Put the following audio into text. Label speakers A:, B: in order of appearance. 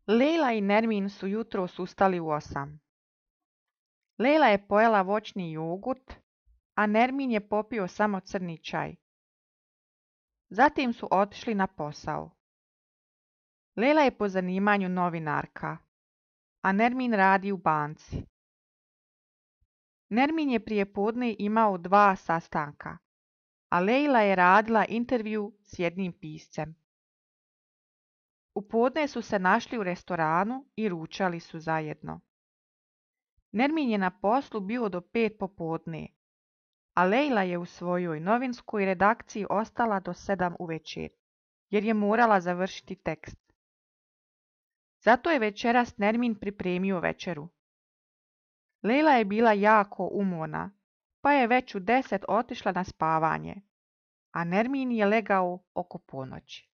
A: Lejla i Nermin su jutros ustali u 8. Lejla je pojela voćni jogurt, a Nermin je popio samo crni čaj. Zatim su otišli na posao. Lejla je po zanimanju novinarka, a Nermin radi u banci. Nermin je prijepodne imao 2 sastanka, a Lejla je radila intervju s jednim piscem. U podne su se našli u restoranu i ručali su zajedno. Nermin je na poslu bio do 5 popodne, a Lejla je u svojoj novinskoj redakciji ostala do 7 uvečer, jer je morala završiti tekst. Zato je večeras Nermin pripremio večeru. Lejla je bila jako umorna, pa je već u 10 otišla na spavanje, a Nermin je legao oko ponoći.